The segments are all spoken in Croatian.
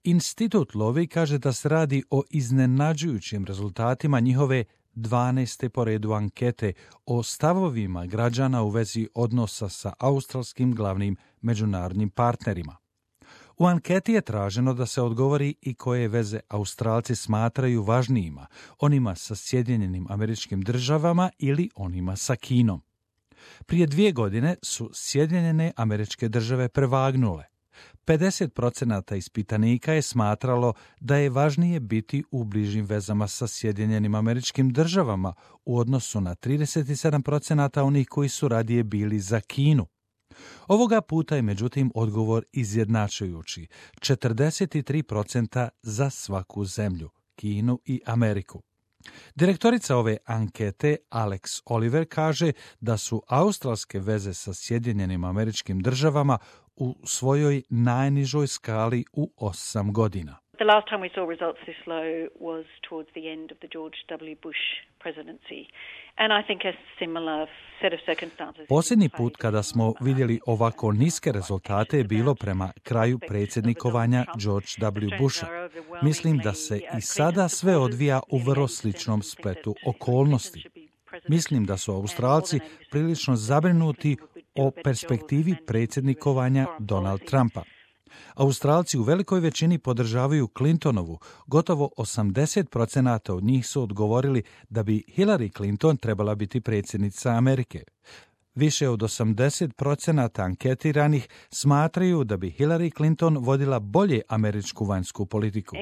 Institut Lowy kaže da se radi o iznenađujućim rezultatima njihove 12. po redu ankete o stavovima građana u vezi odnosa sa australskim glavnim međunarodnim partnerima. U anketi je traženo da se odgovori i koje veze Australci smatraju važnijima, onima sa Sjedinjenim Američkim Državama ili onima sa Kinom. Prije 2 godine su Sjedinjene Američke Države prevagnule. 50% ispitanika je smatralo da je važnije biti u bližim vezama sa Sjedinjenim Američkim Državama u odnosu na 37% onih koji su radije bili za Kinu. Ovoga puta je međutim odgovor izjednačujući, 43% za svaku zemlju, Kinu i Ameriku. Direktorica ove ankete, Alex Oliver, kaže da su australske veze sa Sjedinjenim Američkim Državama u svojoj najnižoj skali u 8 godina. The last time we saw results this low was towards the end of the George W. Bush presidency. And I think a similar set of circumstances. Posljednji put kada smo vidjeli ovako niske rezultate je bilo prema kraju predsjednikovanja George W. Busha. Mislim da se i sada sve odvija u vrlo sličnom spletu okolnosti. Mislim da su Australci prilično zabrinuti o perspektivi predsjednikovanja Donald Trumpa. Australci u velikoj većini podržavaju Clintonovu, gotovo 80% od njih su odgovorili da bi Hillary Clinton trebala biti predsjednica Amerike. Više od 80% anketiranih smatraju da bi Hillary Clinton vodila bolje američku vanjsku politiku.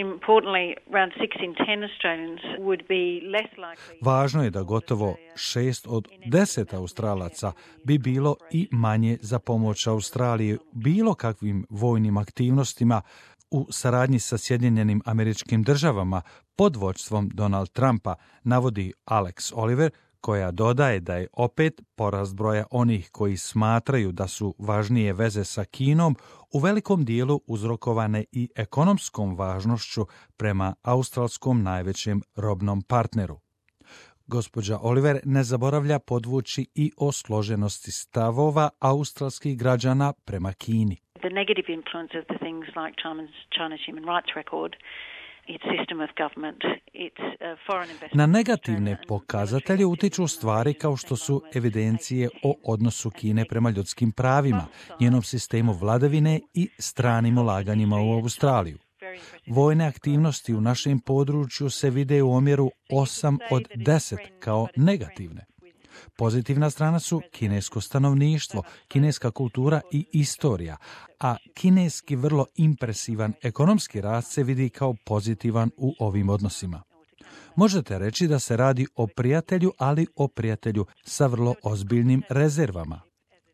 Važno je da gotovo 6 od 10 Australaca bi bilo i manje za pomoć Australiji bilo kakvim vojnim aktivnostima u saradnji sa Sjedinjenim Američkim Državama pod vođstvom Donald Trumpa, navodi Alex Oliver, koja dodaje da je opet porast broja onih koji smatraju da su važnije veze sa Kinom u velikom dijelu uzrokovane i ekonomskom važnošću prema australskom najvećem robnom partneru. Gospođa Oliver ne zaboravlja podvući i o složenosti stavova australskih građana prema Kini. The negative influence of the things like China's human rights record, its system of government, its foreign investment. Na negativne pokazatelje utiču stvari kao što su evidencije o odnosu Kine prema ljudskim pravima, njenom sistemu vladavine i stranim ulaganjima u Australiju. Vojne aktivnosti u našem području se vide u omjeru 8 od 10 kao negativne. Pozitivna strana su kinesko stanovništvo, kineska kultura i istorija, a kineski vrlo impresivan ekonomski rast se vidi kao pozitivan u ovim odnosima. Možete reći da se radi o prijatelju, ali o prijatelju sa vrlo ozbiljnim rezervama.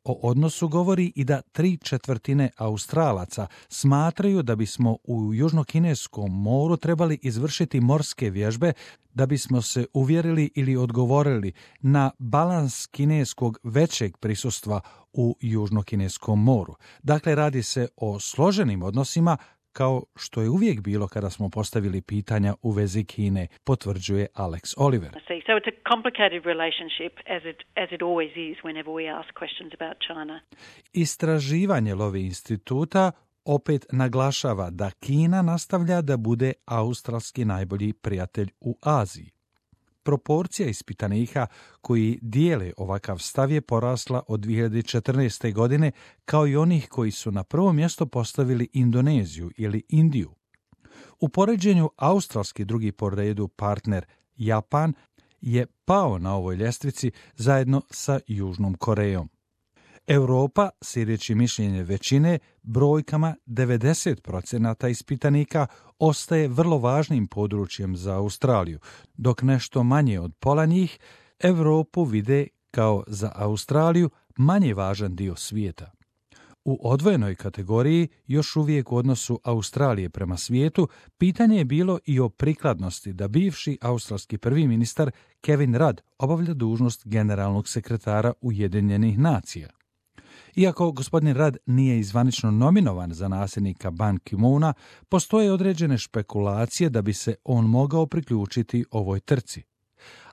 O odnosu govori i da 3/4 Australaca smatraju da bismo u Južnokineskom moru trebali izvršiti morske vježbe da bismo se uvjerili ili odgovorili na balans kineskog većeg prisustva u Južnokineskom moru. Dakle, radi se o složenim odnosima kao što je uvijek bilo kada smo postavili pitanja u vezi Kine, potvrđuje Alex Oliver. So it's a complicated relationship as it always is whenever we ask questions about China. Istraživanje Lowy instituta opet naglašava da Kina nastavlja da bude australski najbolji prijatelj u Aziji. Proporcija ispitanika koji dijele ovakav stav je porasla od 2014. godine, kao i onih koji su na prvo mjesto postavili Indoneziju ili Indiju. U poređenju australski drugi po redu partner Japan je pao na ovoj ljestvici zajedno sa Južnom Korejom. Europa, slijedeći mišljenje većine, brojkama 90% ispitanika ostaje vrlo važnim područjem za Australiju, dok nešto manje od pola njih Europu vide kao za Australiju manje važan dio svijeta. U odvojenoj kategoriji, još uvijek u odnosu Australije prema svijetu, pitanje je bilo i o prikladnosti da bivši australski prvi ministar Kevin Rudd obavlja dužnost generalnog sekretara Ujedinjenih nacija. Iako gospodin Rudd nije izvanično nominovan za nasljednika Ban Ki-moona, postoje određene špekulacije da bi se on mogao priključiti ovoj trci.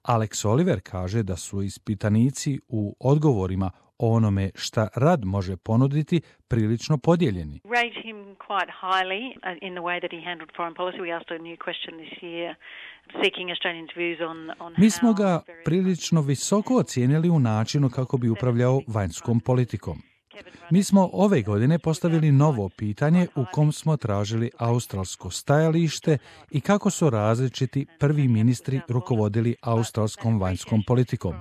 Alex Oliver kaže da su ispitanici u odgovorima o onome šta rad može ponuditi prilično podijeljeni. Rate him quite highly in the way that he handled foreign policy. We asked a new question this year seeking Australians' views on Mi smo ga prilično visoko ocijenili u načinu kako bi upravljao vanjskom politikom. Mi smo ove godine postavili novo pitanje u kom smo tražili australsko stajalište i kako su različiti prvi ministri rukovodili australskom vanjskom politikom.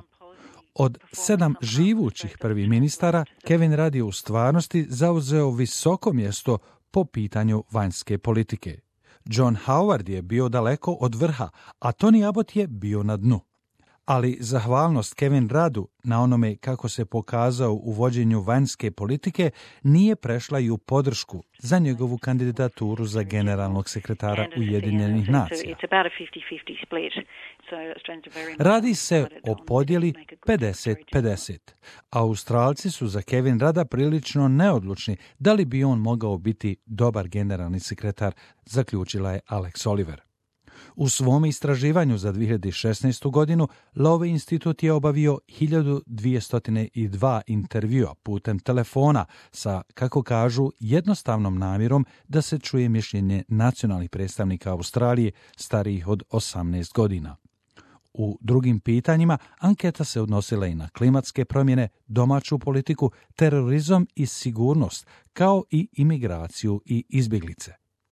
Od 7 živućih prvih ministara, Kevin Rudd je u stvarnosti zauzeo visoko mjesto po pitanju vanjske politike. John Howard je bio daleko od vrha, a Tony Abbott je bio na dnu. Ali zahvalnost Kevin Ruddu na onome kako se pokazao u vođenju vanjske politike nije prešla i u podršku za njegovu kandidaturu za generalnog sekretara Ujedinjenih nacija. Radi se o podjeli 50-50. Australci su za Kevin Rudda prilično neodlučni da li bi on mogao biti dobar generalni sekretar, zaključila je Alex Oliver. U svom istraživanju za 2016. godinu Lowy institut je obavio 1202 intervjua putem telefona sa, kako kažu, jednostavnom namjerom da se čuje mišljenje nacionalnih predstavnika Australije starijih od 18 godina. U drugim pitanjima anketa se odnosila i na klimatske promjene, domaću politiku, terorizam i sigurnost, kao i imigraciju i izbjeglice.